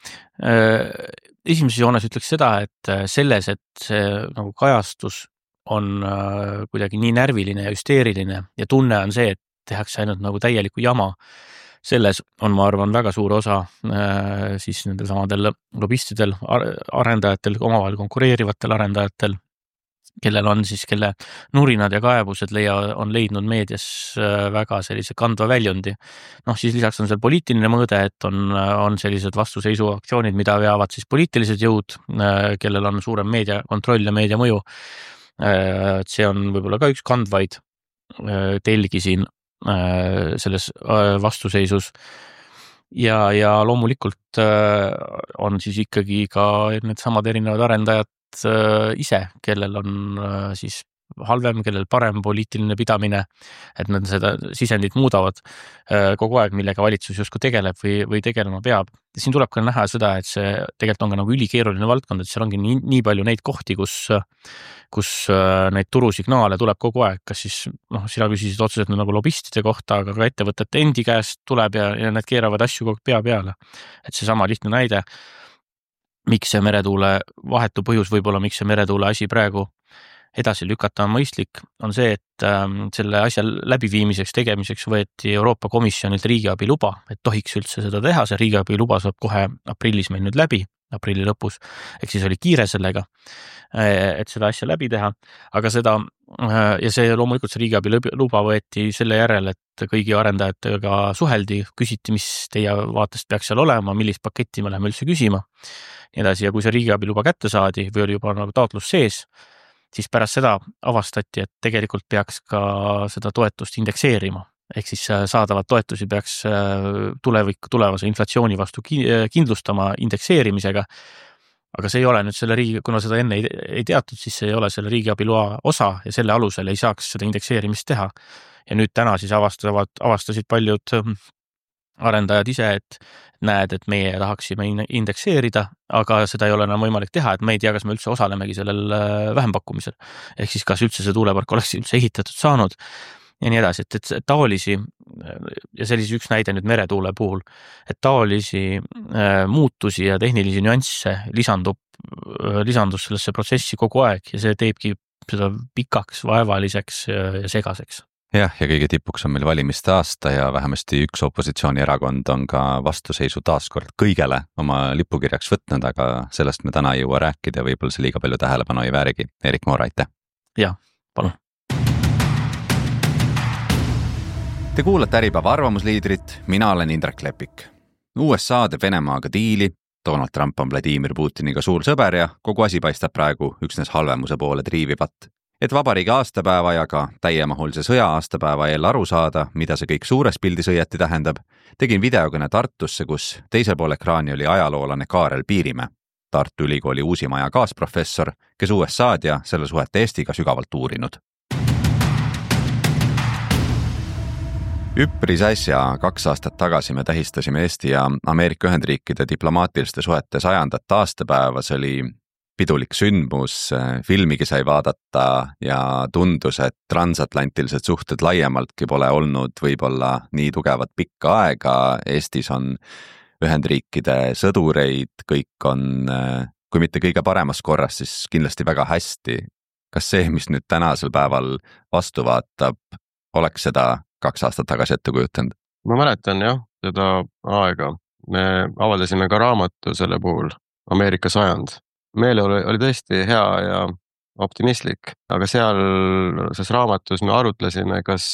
S4: esimeses joones ütleks seda, et selles, et see nagu kajastus on kuidagi nii närviline ja hüsteeriline ja tunne on see, et tehakse ainult nagu täielikku jama. Selles on, ma arvan, väga suur osa siis nendel samadel lobistidel, arendajatel, omavahel konkureerivatel arendajatel, kelle nurinad ja kaebused on leidnud meedias väga sellise kandva väljundi. Siis lisaks on seal poliitiline mõõde, et on sellised vastuseisuaktsioonid, mida veavad siis poliitilised jõud, kellel on suurem meediakontroll ja meediamõju. See on võib-olla ka üks kandvaid telgi siin selles vastuseisus ja loomulikult on siis ikkagi ka need samad erinevad arendajad ise, kellel on siis halvem, kellel parem poliitiline pidamine, et nad seda sisendit muudavad kogu aeg, millega valitsus justkui tegeleb või tegelema peab. Siin tuleb ka näha seda, et see tegelikult on ka nagu ülikeeruline valdkond, et seal ongi nii palju neid kohti, kus neid turusignaale tuleb kogu aeg, kas siis, sina küsisid otseselt nagu lobistide kohta, aga ka ettevõtete endi käest tuleb ja need keeravad asju kogu pea peale. Et see sama lihtne näide, miks see meretuule vahetu põhjus võib-olla, miks see meretuule asi praegu edasi lükata on mõistlik, on see, et selle asja läbiviimiseks tegemiseks võeti Euroopa Komisjonilt riigiabi luba, et tohiks üldse seda teha, see riigiabi luba saab kohe aprillis meil nüüd läbi, aprilli lõpus, ehk siis oli kiire sellega, et seda asja läbi teha, aga ja see loomulikult see riigiabi luba võeti selle järel, et kõigi arendajatega suheldi, küsiti, mis teie vaatest peaks seal olema, millist paketti me läheme üldse küsima, nii edasi, ja kui see riigiabi luba kätte saadi või oli juba nagu taotlus sees, siis pärast seda avastati, et tegelikult peaks ka seda toetust indekseerima. Ehk siis saadavat toetusi peaks tulevase inflatsiooni vastu kindlustama indekseerimisega. Aga see ei ole nüüd kuna seda enne ei teatud, siis see ei ole selle riigiabiloa osa ja selle alusel ei saaks seda indekseerimist teha. Ja nüüd täna siis avastasid paljud arendajad ise, et näed, et meie tahaksime indekseerida, aga seda ei ole enam võimalik teha, et me ei tea, kas me üldse osalemegi sellel vähempakkumisel. Ehk siis kas üldse see tuulepark oleks üldse ehitatud saanud ja nii edasi, et taolisi, ja see oli üks näide nüüd meretuule puhul, et taolisi muutusi ja tehnilisi nüansse lisandus sellesse protsessi kogu aeg ja see teebki seda pikaks, vaevaliseks ja segaseks.
S2: Jah, ja kõige tipuks on meil valimiste aasta ja vähemasti üks opositsioonierakond on ka vastuseisu taaskord kõigele oma lipukirjaks võtnud, aga sellest me täna ei jõua rääkida ja võib-olla see liiga palju tähelepanu ei väärigi. Erik Moor, aitäh!
S4: Jah, palun!
S2: Te kuulate Äripäeva arvamusliidrit, mina olen Indrek Lepik. USA teeb Venemaaga diili, Donald Trump on Vladimir Putiniga suur sõber ja kogu asi paistab praegu üksnes halvemuse poole triivivat. Et vabariigi aastapäeva ja ka täiemahulise sõja aastapäeva eel aru saada, mida see kõik suures pildis õieti tähendab, tegin videokõne Tartusse, kus teisel pool ekraani oli ajaloolane Kaarel Piirimäe, Tartu Ülikooli Uusimaja kaasprofessor, kes USA'd ja selle suhet Eestiga sügavalt uurinud. Üpris äsja 2 aastat tagasi me tähistasime Eesti ja Ameerika Ühendriikide diplomaatiliste suhete 100. aastapäeva, see oli pidulik sündmus, filmigi sai vaadata ja tundus, et transatlantilised suhted laiemaltki pole olnud võib-olla nii tugevad pikka aega. Eestis on Ühendriikide sõdureid, kõik on, kui mitte kõige paremas korras, siis kindlasti väga hästi. Kas see, mis nüüd tänasel päeval vastu vaatab, oleks seda 2 aastat tagasi ette kujutanud?
S5: Ma mäletan jah, seda aega. Me avaldasime ka raamatu selle puhul, Ameerika sajand. Meele oli tõesti hea ja optimistlik, aga selles raamatus me arutlesime, kas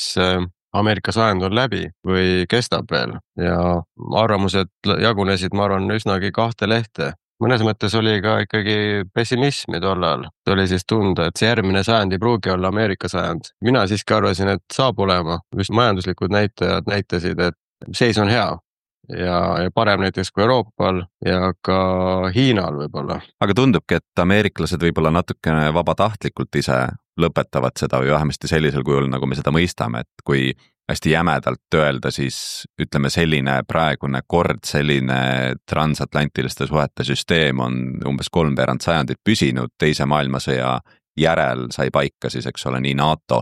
S5: Ameerika sajand on läbi või kestab veel ja arvamused jagunesid, ma arvan, üsnagi 2 lehte. Mõnes mõttes oli ka ikkagi pessimismi tollal. See oli siis tunda, et see järgmine sajand ei pruugi olla Ameerika sajand. Mina siiski arvasin, et saab olema. Just majanduslikud näitajad näitasid, et seis on hea ja parem näiteks kui Euroopal ja ka Hiinal võib-olla.
S2: Aga tundubki, et ameeriklased võib-olla natukene vabatahtlikult ise lõpetavad seda või vähemasti sellisel kujul, nagu me seda mõistame, et kui hästi jämedalt öelda, siis ütleme selline praegune kord, selline transatlantiliste suhete süsteem on umbes 3/4 sajandit püsinud, teise maailmasõja järel sai paika siis, eks ole, nii NATO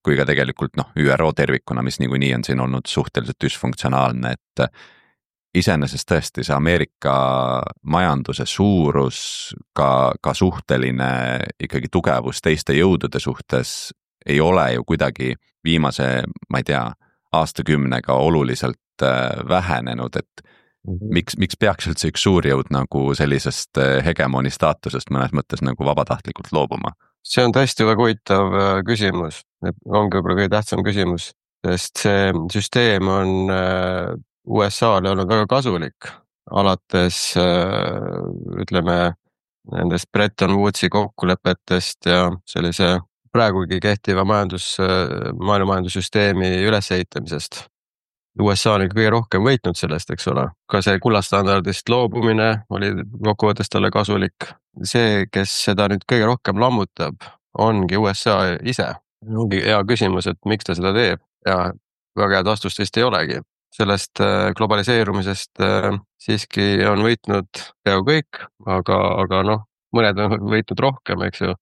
S2: kui ka tegelikult ÜRO tervikuna, mis niikuinii on siin olnud suhteliselt dysfunktsionaalne, et iseenesest tõesti see Ameerika majanduse suurus, ka suhteline ikkagi tugevus teiste jõudude suhtes ei ole ju kuidagi viimase, ma ei tea, aastakümnega oluliselt vähenenud, et miks peaks üldse üks suurjõud nagu sellisest hegemoni staatusest mõnes mõttes nagu vabatahtlikult loobuma?
S5: See on tõesti väga huvitav küsimus, ongi võib-olla kõige tähtsam küsimus, sest see süsteem on USA-le olnud väga kasulik, alates ütleme nendest Bretton Woodsi kokkulepetest ja sellise praegugi kehtiva maailmamandussüsteemi ülesehitamisest. USA on kõige rohkem võitnud sellest, eks ole. Ka see kullastandardist loobumine oli kokkuvõttes talle kasulik. See, kes seda nüüd kõige rohkem lammutab, ongi USA ise. Ongi hea küsimus, et miks ta seda teeb ja väga head vastust vist ei olegi. Sellest globaliseerumisest siiski on võitnud peaaegu kõik, aga mõned on võitnud rohkem, eks ju.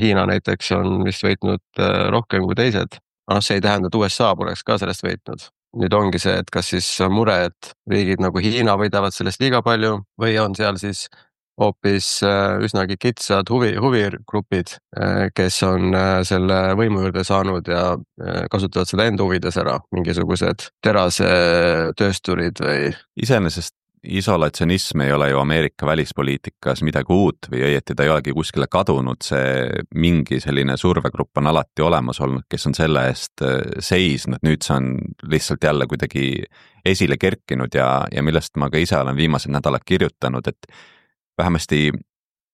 S5: Hiina näiteks on vist võitnud rohkem kui teised. See ei tähenda, et USA poleks ka sellest võitnud. Nüüd ongi see, et kas siis on mure, et riigid nagu Hiina võidavad sellest liiga palju või on seal siis hoopis üsnagi kitsad huvigrupid, kes on selle võimu juurde saanud ja kasutavad seda enda huvides ära, mingisugused terasetöösturid või.
S2: Iseenesest isolatsionism ei ole ju Ameerika välispoliitikas midagi uut või õieti ta ei olegi kuskile kadunud, see mingi selline survegrupp on alati olemas olnud, kes on selle eest seisnud, nüüd see on lihtsalt jälle kuidagi esile kerkinud ja millest ma ka ise olen viimased nädalad kirjutanud, et vähemasti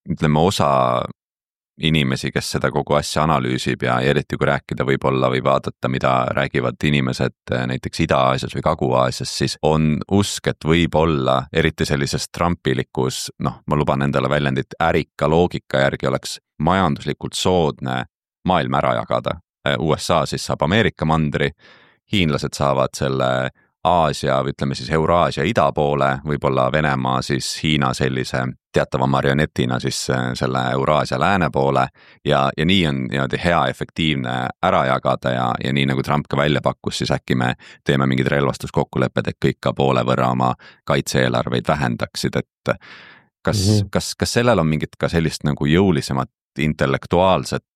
S2: ütleme osa inimesi, kes seda kogu asja analüüsib ja eriti kui rääkida võib-olla või vaadata, mida räägivad inimesed näiteks Ida-Aasias või Kagu-Aasias, siis on usk, et võib-olla eriti sellises trumpilikus, ma luban endale väljendit, ärika loogika järgi oleks majanduslikult soodne maailm ära jagada. USA siis saab Ameerika mandri, hiinlased saavad selle Aasia või ütleme siis Euraasia ida poole, võib-olla Venemaa siis Hiina sellise teatava marionetina siis selle Euraasia lääne poole ja nii on niimoodi hea efektiivne ära jagada ja nii nagu Trump ka välja pakkus, siis äkki me teeme mingid relvastuskokkulepped, et kõik ka poole võrra oma kaitse-eelarveid vähendaksid, et kas sellel on mingit ka sellist nagu jõulisemat intellektuaalset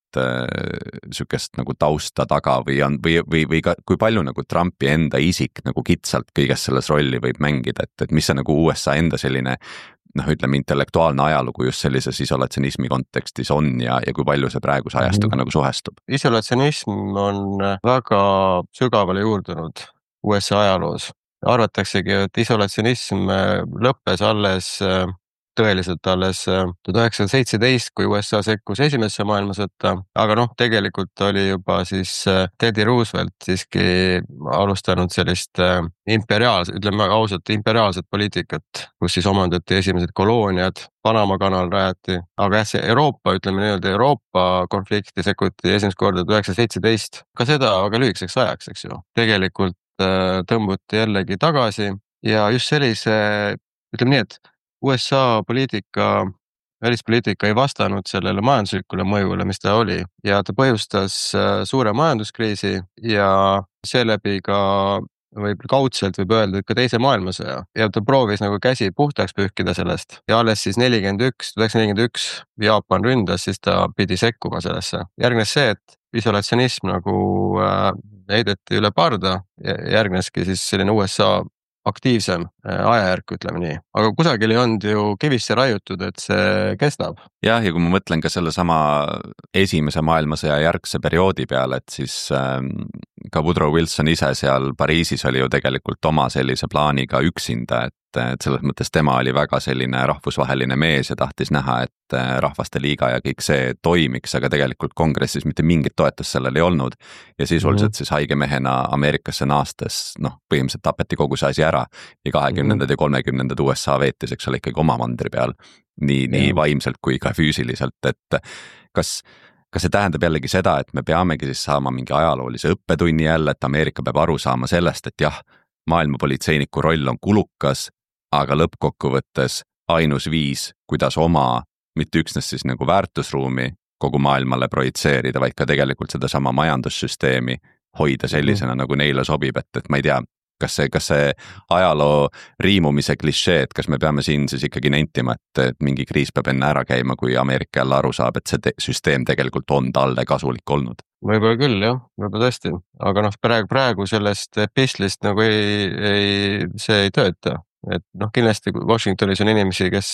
S2: sükest nagu tausta taga või ka kui palju nagu Trumpi enda isik nagu kitsalt kõiges selles rolli võib mängida, et mis see nagu USA enda selline ütleme intellektuaalne ajalugu just sellises isolatsionismi kontekstis on ja kui palju see praeguse ajastuga nagu suhestub?
S5: Isolatsionism on väga sügavale juurdunud USA ajaloos. Arvataksegi, et isolatsionism lõppes tõeliselt alles 1917, kui USA sekkus esimesse maailmasõtta, aga tegelikult oli juba siis Teddy Roosevelt siiski alustanud sellist ütleme ausalt, imperiaalset poliitikat, kus siis omandati esimesed kolooniad, Panama kanal rajati, aga see Euroopa konflikti sekkuti esimest korda 1917, ka seda väga lühikeseks ajaks, eks ju. Tegelikult tõmbuti jällegi tagasi ja just sellise, ütleme nii, et USA poliitika välispoliitika ei vastanud sellele majanduslikule mõjule, mis ta oli ja ta põhjustas suure majanduskriisi ja seeläbi ka kaudselt võib öelda, et ka teise maailmasõja ja ta proovis nagu käsi puhtaks pühkida sellest ja alles siis 1941 Jaapan ründas, siis ta pidi sekkuma sellesse. Järgnes see, et isolatsionism nagu heideti üle parda ja järgneski siis selline USA aktiivsem ajajärk, ütleme nii. Aga kusagil ei olnud ju kivisse raiutud, et see kestab.
S2: Jah, ja kui ma mõtlen ka selle sama esimese maailmasõja järgse perioodi peale, et siis ka Woodrow Wilson ise seal Pariisis oli ju tegelikult oma sellise plaaniga üksinda, et selles mõttes tema oli väga selline rahvusvaheline mees ja tahtis näha, et Rahvaste Liiga ja kõik see toimiks, aga tegelikult kongressis mitte mingit toetust sellel ei olnud. Ja sisuliselt siis haigemehena Ameerikasse naastes, põhimõtteliselt tapeti kogu see asi ära ja 20. ja 30. USA veetis, eks ole, ikkagi oma mandri peal. Nii vaimselt kui ka füüsiliselt, et kas see tähendab jällegi seda, et me peamegi siis saama mingi ajaloolise õppetunni jälle, et Ameerika peab aru saama sellest, et jah, maailmapolitseiniku roll on kulukas, aga lõppkokkuvõttes ainus viis, kuidas oma, mitte üksnes siis nagu väärtusruumi kogu maailmale projitseerida, vaid ka tegelikult seda sama majandussüsteemi hoida sellisena, nagu neile sobib, et ma ei tea, kas see ajaloo riimumise klišee, et kas me peame siin siis ikkagi nentima, et mingi kriis peab enne ära käima, kui Ameerika jälle aru saab, et see süsteem tegelikult on talle kasulik olnud.
S5: Võib-olla küll, jah, võib-olla tõesti, aga praegu sellest epistlist nagu see ei tööta. Et kindlasti Washingtonis on inimesi, kes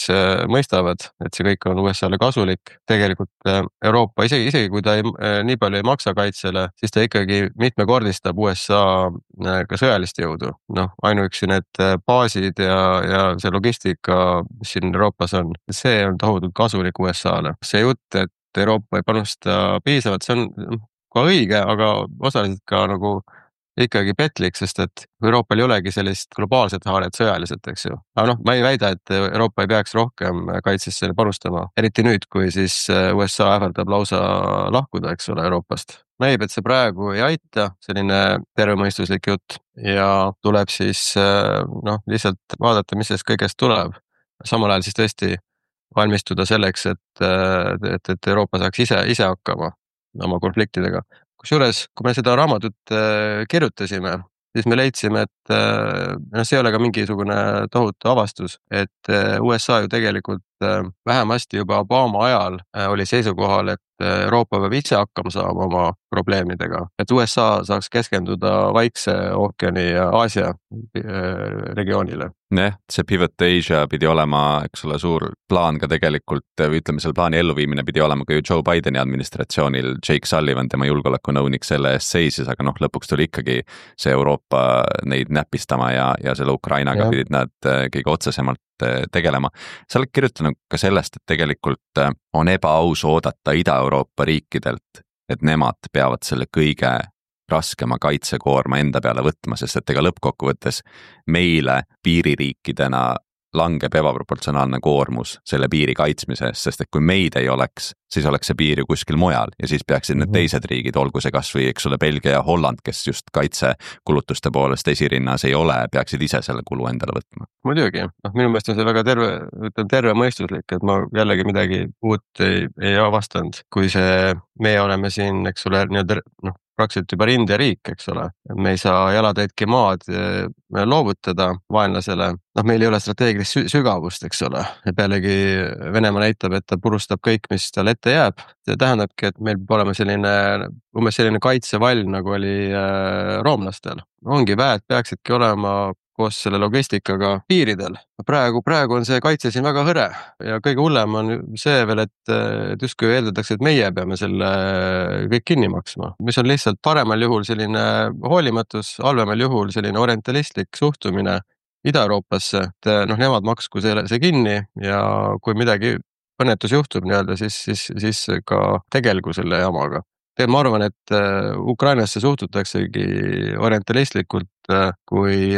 S5: mõistavad, et see kõik on USA-le kasulik. Tegelikult Euroopa, isegi kui ta nii palju ei maksa kaitsele, siis ta ikkagi mitmekordistab USA ka sõjalist jõudu. Ainuüksi need baasid ja see logistika, mis siin Euroopas on, see on tohutult kasulik USA-le. See jutt, et Euroopa ei panusta piisavalt, see on ka õige, aga osaliselt ka nagu ikkagi petlik, sest et Euroopal ei olegi sellist globaalset haaret sõjaliselt, eks ju. Aga ma ei väida, et Euroopa ei peaks rohkem kaitsesse panustama, eriti nüüd, kui siis USA ähvardab lausa lahkuda, eks ole, Euroopast. Näib, et see praegu ei aita, selline tervemõistuslik jutt ja tuleb siis lihtsalt vaadata, mis sellest kõigest tuleb. Samal ajal siis tõesti valmistuda selleks, et Euroopa saaks ise hakkama oma konfliktidega. Kusjuures, kui me seda raamatut kirjutasime, siis me leidsime, et see ei ole ka mingisugune tohutu avastus, et USA ju tegelikult vähemasti juba Obama ajal oli seisukohal, et Euroopa peab ise hakkama saama oma probleemidega, et USA saaks keskenduda Vaikse ookeani ja Aasia regioonile.
S2: See Pivot Asia pidi olema, eks ole, suur plaan ka tegelikult, või ütleme, selle plaani elluviimine pidi olema ka ju Joe Bideni administratsioonil, Jake Sullivan, tema julgeolekunõunik selle eest seisis, aga lõpuks tuli ikkagi see Euroopa neid näpistama ja selle Ukrainaga pidid nad kõige otsesemalt tegelema. Sa oled kirjutanud ka sellest, et tegelikult on ebaaus oodata Ida-Euroopa riikidelt, et nemad peavad selle kõige raskema kaitsekoorma enda peale võtma, sest et ega lõppkokkuvõttes meile piiririikidena langeb ebaproportsionaalne koormus selle piiri kaitsmise eest, sest et kui meid ei oleks, siis oleks see piir ju kuskil mujal ja siis peaksid need teised riigid, olgu see kas või, eks ole, Belgia ja Holland, kes just kaitsekulutuste poolest esirinnas ei ole, peaksid ise selle kulu endale võtma.
S5: Muidugi, minu meelest on see väga terve mõistuslik, et ma jällegi midagi uut ei avastanud, kui me oleme siin, eks ole, praktiliselt juba rinderiik, eks ole. Me ei saa jalatäitki maad loovutada vaenlasele. Meil ei ole strateegilist sügavust, eks ole. Ja pealegi Venemaa näitab, et ta purustab kõik, mis tal ette jääb. See tähendabki, et meil peab olema selline kaitsevall, nagu oli roomlastel. Ongi väed peaksidki olema koos selle logistikaga piiridel. Praegu on see kaitse siin väga hõre ja kõige hullem on see veel, et justkui eeldatakse, et meie peame selle kõik kinni maksma. Mis on lihtsalt paremal juhul selline hoolimatus, halvemal juhul selline orientalistlik suhtumine Ida-Euroopasse, et nemad maksku see kinni ja kui midagi õnnetus juhtub siis ka tegelgu selle jamaga. Ma arvan, et Ukrainasse suhtutaksegi orientalistlikult kui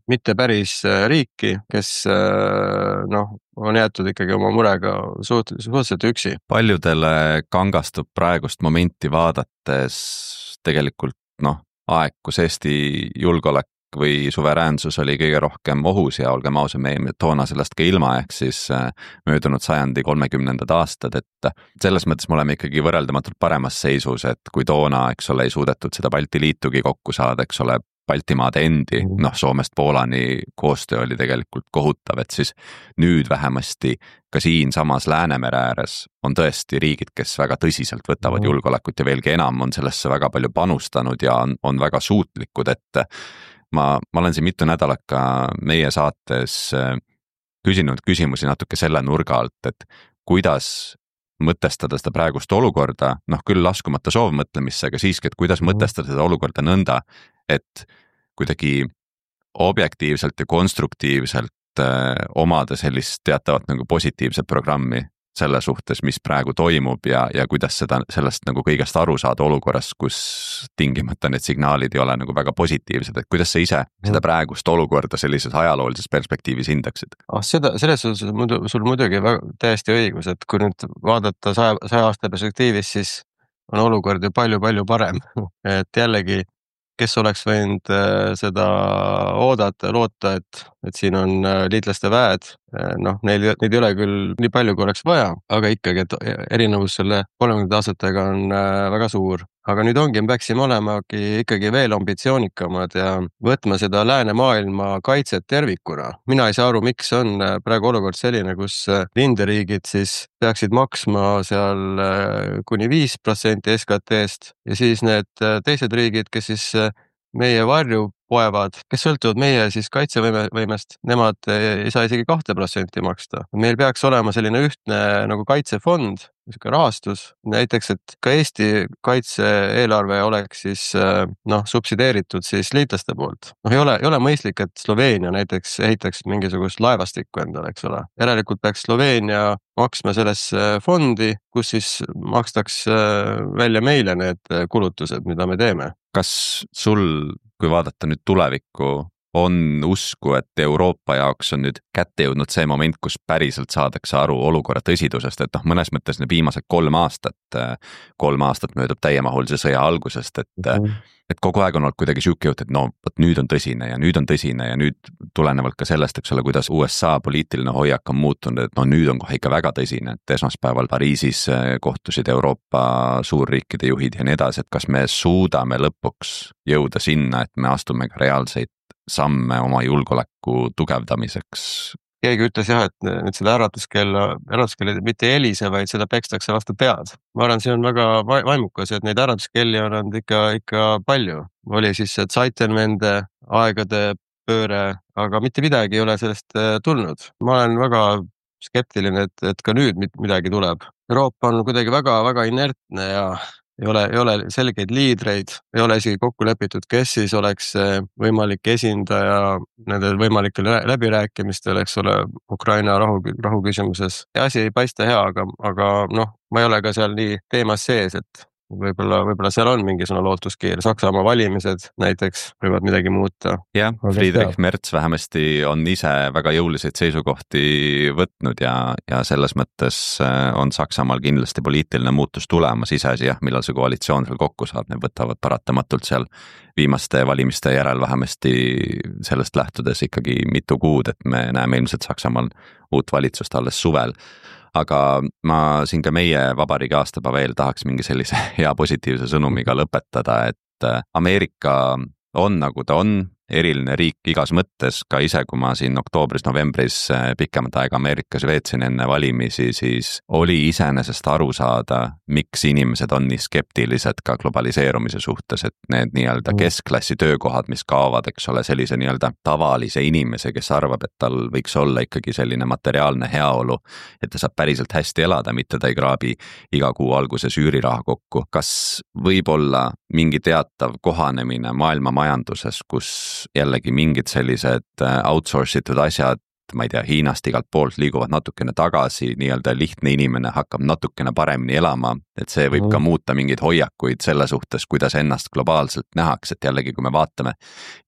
S5: mitte päris riiki, kes on jäetud ikkagi oma murega suhteliselt üksi.
S2: Paljudele kangastub praegust momenti vaadates tegelikult aeg, kus Eesti julgeolek või suveräänsus oli kõige rohkem ohus ja olgem ausad, me jäime toona sellest ka ilma, ehk siis möödunud sajandi 30. aastad, et selles mõttes me oleme ikkagi võrreldamatult paremas seisus, et kui toona, eks ole, ei suudetud seda Balti liitugi kokku saada, eks ole, Baltimaade endi, Soomest Poolani koostöö oli tegelikult kohutav, et siis nüüd vähemasti ka siin samas Läänemere ääres on tõesti riigid, kes väga tõsiselt võtavad julgeolekut ja veelgi enam on sellesse väga palju panustanud ja on väga suutlikud, et ma olen siin mitu nädalat ka meie saates küsinud küsimusi natuke selle nurga alt, et kuidas mõtestada seda praegust olukorda, küll laskumata soovmõtlemisse, aga siiski, et kuidas mõtestada seda olukorda nõnda, et kuidagi objektiivselt ja konstruktiivselt omada sellist teatavat nagu positiivset programmi selle suhtes, mis praegu toimub ja kuidas sellest nagu kõigest aru saada olukorras, kus tingimata need signaalid ei ole nagu väga positiivsed, et kuidas sa ise seda praegust olukorda sellises ajaloolises perspektiivis hindaksid?
S5: Selles suhtes sul muidugi täiesti õigus, et kui nüüd vaadata 100 aasta perspektiivis, siis on olukord ju palju parem, et jällegi kes oleks võinud seda oodata ja loota, et siin on liitlaste väed, neid ei ole küll nii palju, kui oleks vaja, aga ikkagi, et erinevus selle 30 aastatega on väga suur. Aga nüüd me peaksime olemagi ikkagi veel ambitsioonikamad ja võtma seda läänemaailma kaitset tervikuna. Mina ei saa aru, miks on praegu olukord selline, kus rinderiigid siis peaksid maksma seal kuni 5% SKT-st ja siis need teised riigid, kes siis meie varju poevad, kes sõltuvad meie siis kaitsevõimest, nemad ei saa isegi 2% maksta. Meil peaks olema selline ühtne nagu kaitsefond, rahastus, näiteks, et ka Eesti kaitse-eelarve oleks siis subsideeritud siis liitlaste poolt. Ei ole mõistlik, et Sloveenia näiteks ehitaks mingisugust laevastikku endale, eks ole. Järelikult peaks Sloveenia maksma sellesse fondi, kus siis makstaks välja meile need kulutused, mida me teeme.
S2: Kas sul, kui vaadata nüüd tulevikku, on usku, et Euroopa jaoks on nüüd kätte jõudnud see moment, kus päriselt saadakse aru olukorra tõsidusest, et mõnes mõttes need viimased 3 aastat möödub täiemahulise sõja algusest, et kogu aeg on olnud kuidagi siuke jutt, et nüüd on tõsine ja nüüd tulenevalt ka sellest, eks ole, kuidas USA poliitiline hoiak on muutunud, et nüüd on kohe ikka väga tõsine, et esmaspäeval Pariisis kohtusid Euroopa suurriikide juhid ja nii edasi, et kas me suudame lõpuks jõuda sinna, et me astume ka reaalseid samme oma julgeoleku tugevdamiseks.
S5: Keegi ütles et nüüd seda äratuskell mitte ei helise, vaid seda pekstakse vastu pead. Ma arvan, see on väga vaimukas, et neid äratuskelli on olnud ikka palju. Oli siis see Zeitenwende aegade pööre, aga mitte midagi ei ole sellest tulnud. Ma olen väga skeptiline, et ka nüüd midagi tuleb. Euroopa on kuidagi väga inertne ja ei ole selgeid liidreid, ei ole isegi kokku lepitud, kes siis oleks võimalik esindaja nendel võimalikel läbirääkimistel, eks ole, Ukraina rahu küsimuses. Ja asi ei paista hea, aga ma ei ole ka seal nii teemas sees, et võib-olla seal on mingisugune lootuskiir. Saksamaa valimised näiteks võivad midagi muuta.
S2: Jah, Friedrich Merz vähemasti on ise väga jõuliseid seisukohti võtnud ja selles mõttes on Saksamaal kindlasti poliitiline muutus tulemas, iseasi millal see koalitsioon seal kokku saab, need võtavad paratamatult seal viimaste valimiste järel vähemasti sellest lähtudes ikkagi mitu kuud, et me näeme ilmselt Saksamaal uut valitsust alles suvel. Aga ma siin ka meie vabariigi aastapäeva eel tahaks mingi sellise hea positiivse sõnumiga lõpetada, et Ameerika on nagu ta on, eriline riik igas mõttes, ka ise, kui ma siin oktoobris-novembris pikemat aega Ameerikas veetsin enne valimisi, siis oli iseenesest aru saada, miks inimesed on nii skeptilised ka globaliseerumise suhtes, et need nii-öelda keskklassi töökohad, mis kaovad, eks ole, sellise nii-öelda tavalise inimese, kes arvab, et tal võiks olla ikkagi selline materiaalne heaolu, et ta saab päriselt hästi elada, mitte ta ei kraabi iga kuu alguses üüriraha kokku. Kas võib olla mingi teatav kohanemine maailma majanduses, kus jällegi mingid sellised outsourcitud asjad, ma ei tea, Hiinast igalt poolt liiguvad natukene tagasi, nii-öelda lihtne inimene hakkab natukene paremini elama, et see võib ka muuta mingeid hoiakuid selle suhtes, kuidas ennast globaalselt nähaks, et jällegi, kui me vaatame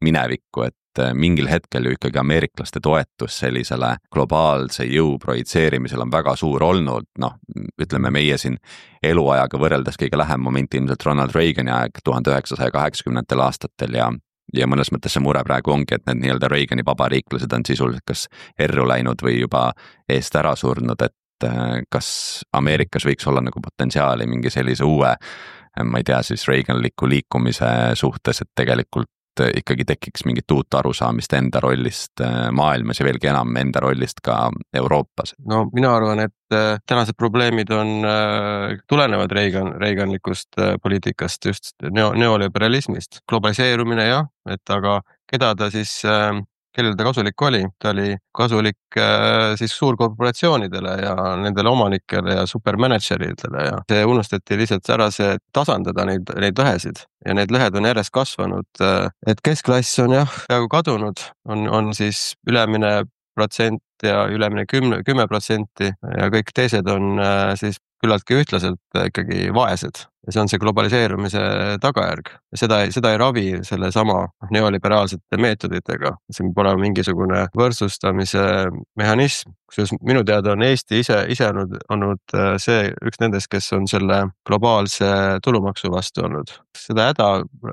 S2: minevikku, et mingil hetkel ju ikkagi ameeriklaste toetus sellisele globaalse jõu projitseerimisel on väga suur olnud, ütleme meie siin eluajaga võrreldes kõige lähem moment ilmselt Ronald Reagani aeg 1980. aastatel ja ja mõnes mõttes see mure praegu ongi, et need nii-öelda Reagani vabariiklased on sisuliselt kas erru läinud või juba eest ära surnud, et kas Ameerikas võiks olla nagu potentsiaali mingi sellise uue, ma ei tea, siis Reaganliku liikumise suhtes, et tegelikult ikkagi tekiks mingit uut arusaamist enda rollist maailmas ja veelgi enam enda rollist ka Euroopas.
S5: No mina arvan, et tänased probleemid tulenevad Reaganlikust poliitikast, just neoliberalismist. Globaliseerumine jah, et aga keda ta siis, kellel ta kasulik oli? Ta oli kasulik siis suurkorporatsioonidele ja nendele omanikele ja supermanageritele ja see unustati lihtsalt ära see tasandada neid lõhesid ja need lõhed on järjest kasvanud, et keskklass on jah peaaegu kadunud, on siis ülemine protsent ja ülemine 10% ja kõik teised on siis küllaltki ühtlaselt ikkagi vaesed. Ja see on see globaliseerumise tagajärg. Seda ei ravi selle sama neoliberaalsete meetoditega. See peab olema mingisugune võrdsustamise mehhanism. Kusjuures minu teada on Eesti ise olnud see üks nendest, kes on selle globaalse tulumaksu vastu olnud. Seda häda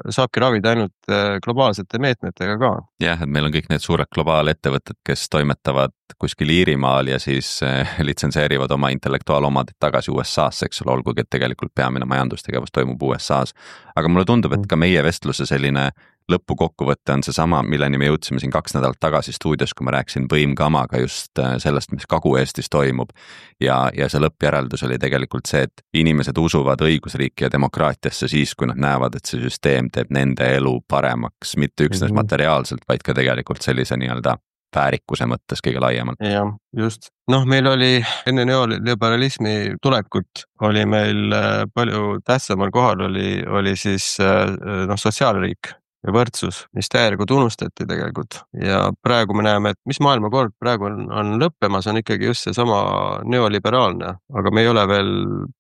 S5: saabki ravida ainult globaalsete meetmetega ka.
S2: Jah, et meil on kõik need suured globaalettevõtted, kes toimetavad kuskil Iirimaal ja siis litsenseerivad oma intellektuaalomadit tagasi USA-sse, eks ole, olgugi, et tegelikult peamine majandustegevus toimub USA-s. Aga mulle tundub, et ka meie vestluse selline lõpukokkuvõte on seesama, milleni me jõudsime siin 2 nädalat tagasi stuudios, kui ma rääkisin võimkamaga just sellest, mis Kagu-Eestis toimub. Ja see lõppjäreldus oli tegelikult see, et inimesed usuvad õigusriiki ja demokraatiasse siis, kui nad näevad, et see süsteem teeb nende elu paremaks, mitte üksnes materiaalselt, vaid ka tegelikult sellise nii-öelda väärikuse mõttes kõige laiemalt.
S5: Jah, just. Meil oli enne neoliberalismi tulekut oli meil palju tähtsamal kohal oli siis sotsiaalriik ja võrdsus, mis täielikult unustati tegelikult. Ja praegu me näeme, et mis maailmakord praegu on lõppemas, on ikkagi just see sama neoliberaalne, aga me ei ole veel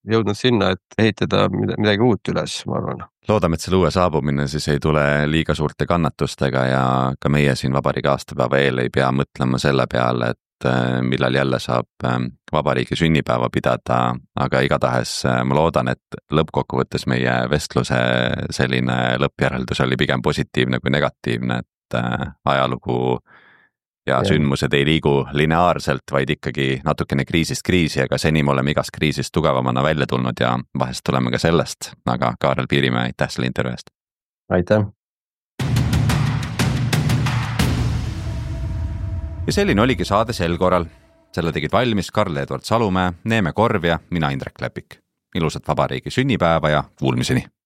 S5: jõudnud sinna, et ehitada midagi uut üles, ma arvan.
S2: Loodame, et selle uue saabumine siis ei tule liiga suurte kannatustega ja ka meie siin vabariigi aastapäeva eel ei pea mõtlema selle peale, et millal jälle saab vabariigi sünnipäeva pidada, aga igatahes ma loodan, et lõppkokkuvõttes meie vestluse selline lõppjäreldus oli pigem positiivne kui negatiivne, et ajalugu ja sündmused ei liigu lineaarselt, vaid ikkagi natukene kriisist kriisi, aga seni me oleme igast kriisist tugevamana välja tulnud ja vahest tuleme ka sellest, aga Kaarel Piirimäe, aitäh selle intervjuu eest!
S5: Aitäh!
S2: Ja selline oligi saade sel korral. Selle tegid valmis Karl-Edvard Salumäe, Neeme Korv ja mina Indrek Lepik. Ilusat vabariigi sünnipäeva ja kuulmiseni!